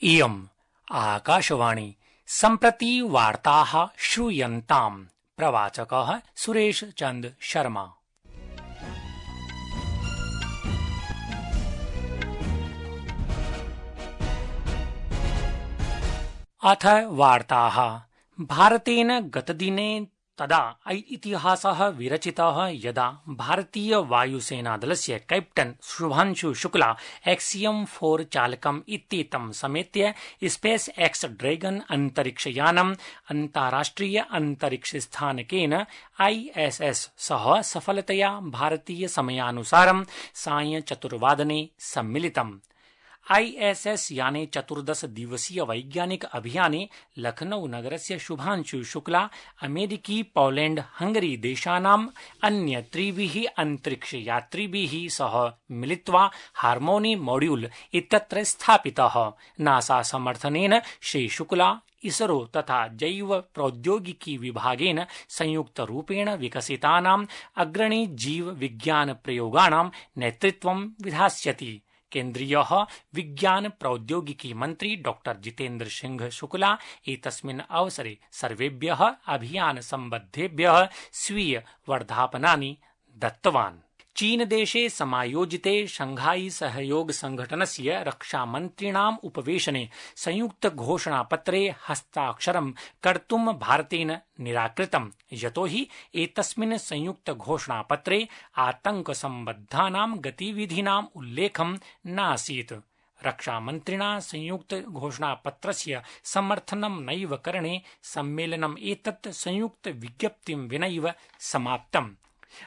इयम् आकाशवाणी सम्प्रति वार्ताः श्रूयन्ताम्। प्रवाचकः सुरेश चंद शर्मा। अथ वार्ताः। भारतेन गतदिने तदा इतिहासः विरचितः यदा भारतीय वायुसेनादलस्य कैप्टन शुभांशु शुक्ला एक्सियम-4 चालकम् इत्येतं समेत्य स्पेस एक्स ड्रैगन अन्तरिक्षयानम् अन्ताराष्ट्रिय अन्तरिक्षस्थानकेन ISS सह सफलतया भारतीय समयानुसारं सायं 4 सम्मिलितम्। ISS याने 14 दिवसीय वैज्ञानिक अभियाने लखनऊ नगरस्य शुभांशु शुक्ला अमेरिकी, पोलैंड, हंगरी देशानाम् अन्य 3 अन्तरिक्षयात्रिभिः सह मिलित्वा हार्मोनी मॉड्यूल इत्यत्र स्थापितः। नासा समर्थनेन श्री शुक्ला इसरो तथा जैव प्रौद्योगिकी विभागेन संयुक्तरूपेण विकसितानाम् अग्रणी जीव विज्ञान प्रयोगाणां नेतृत्वं विधास्यति। केन्द्रीयः विज्ञान प्रौद्योगिकी मन्त्री डॉक्टर जितेन्द्र सिंह शुक्ला एतस्मिन् अवसरे सर्वेभ्यः अभियान सम्बद्धेभ्यः स्वीय वर्धापनानि दत्तवान्। चीनदेशे समायोजिते शंघाई सहयोग संघटनस्य रक्षामन्त्रिणाम् उपवेशने संयुक्त घोषणापत्रे हस्ताक्षरं कर्तुं भारतेन निराकृतम्, यतोहि एतस्मिन् संयुक्त घोषणापत्रे आतंकसम्बद्धानां गतिविधीनाम् उल्लेखं नासीत्। रक्षामन्त्रिणा संयुक्त घोषणापत्रस्य समर्थनं नैव करणे सम्मेलनम् एतत् संयुक्त विज्ञप्तिं विनैव समाप्तम्।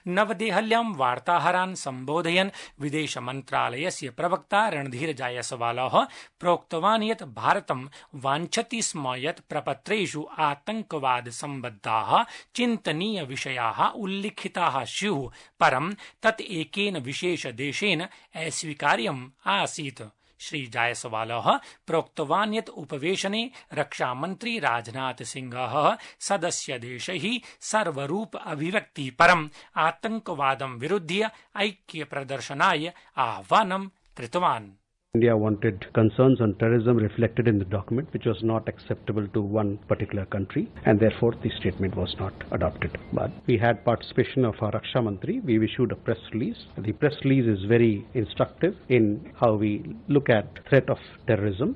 नवदेहल्यां वार्ताहरान् सम्बोधयन् विदेशमन्त्रालयस्य प्रवक्ता रणधीर जायसवालः प्रोक्तवान् यत् भारतं वाञ्छति स्म यत् प्रपत्रेषु आतंकवाद सम्बद्धाः चिन्तनीय विषयाः उल्लिखिताः स्युः, परं तत् एकेन विशेषदेशेन अस्वीकार्यम् आसीत्। श्री जायसवालः प्रोक्तवान् यत् उपवेशने रक्षामन्त्री राजनाथ सिंहः सदस्यदेशैः सर्वरूप अभिव्यक्ति परम् आतंकवादं विरुध्य ऐक्यप्रदर्शनाय आह्वानं कृतवान्। India wanted concerns on terrorism reflected in the document, which was not acceptable to one particular country, and therefore the statement was not adopted. But we had participation of our Raksha Mantri. We issued a press release. The press release is very instructive in how we look at threat of terrorism.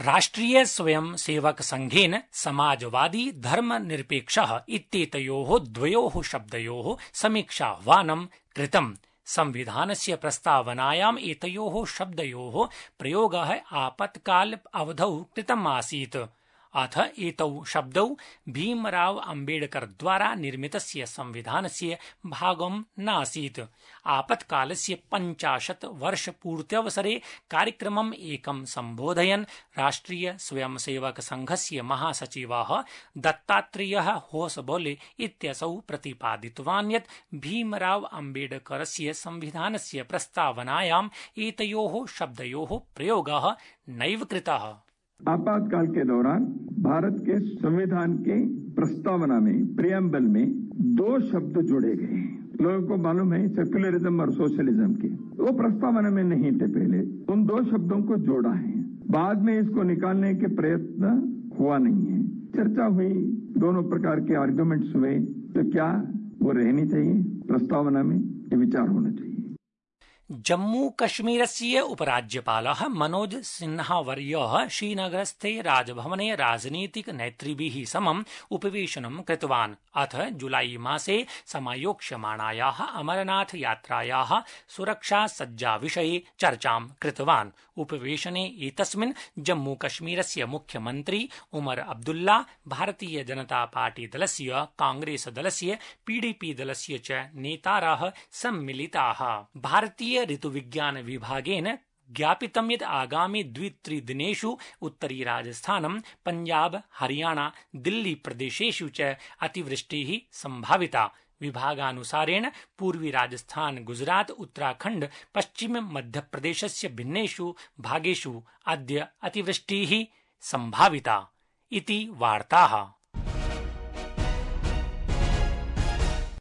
राष्ट्रीय स्वयं सेवक संघेन समाजवादी धर्मनिरपेक्षः इत्येतयोः द्वयोः शब्दयोः समीक्षाह्वानं कृतम्। संविधानस्य प्रस्तावनायाम् एतयोः शब्दयोः प्रयोगः आपत्काल अवधौ कृतम् आसीत्। अथ एतौ शब्दौ भीमराव अम्बेडकर द्वारा निर्मितस्य संविधानस्य भागं नासीत्। आपत्कालस्य 50 वर्षपूर्त्यवसरे कार्यक्रमम् एकं सम्बोधयन् राष्ट्रीय स्वयंसेवक संघस्य महासचिवः दत्तात्रेयः होसबोले इत्यसौ प्रतिपादितवान् यत् भीमराव अम्बेडकरस्य संविधानस्य प्रस्तावनायाम् एतयोः शब्दयोः प्रयोगः नैव कृतः। आपातकाल के दौरान भारत के संविधान के प्रस्तावना में प्रियम्बल में 2 शब्द जोड़े गए। लोगों को मालूम है सेक्युलरिज्म और सोशलिज्म के, वो प्रस्तावना में नहीं थे। पहले उन 2 शब्दों को जोड़ा है, बाद में इसको निकालने के प्रयत्न हुआ नहीं है। चर्चा हुई, दोनों प्रकार के आर्गुमेंट्स हुए, तो क्या वो रहनी चाहिए प्रस्तावना में, ये विचार होना चाहिए। जम्मू कश्मीरस्य उपराज्यपालः मनोज सिन्हावर्यः श्रीनगरस्थे राजभवने राजनीतिक नेतृभिः समम् उपवेशनं कृतवान्। अथ जुलाई मासे समायोक्ष्यमाणायाः अमरनाथ यात्रायाः सुरक्षा सज्जा विषये चर्चां कृतवान्। उपवेशने एतस्मिन् जम्मू कश्मीरस्य मुख्यमन्त्री उमर अब्दुल्ला, भारतीय जनता पार्टी दलस्य, कांग्रेस दलस्य, PDP दलस्य च नेतारः सम्मिलिताः। भारतीय ऋतुविज्ञान विभागेन ज्ञापितं यत् आगामि 2-3 दिनेषु उत्तरी राजस्थानं, पंजाब, हरियाणा, दिल्ली प्रदेशेषु च अतिवृष्टिः संभाविता। विभागानुसारेण पूर्वी राजस्थान, गुजरात, उत्तराखण्ड, पश्चिम मध्यप्रदेशस्य भिन्नेषु भागेषु अद्य अतिवृष्टिः संभाविता इति वार्ताः।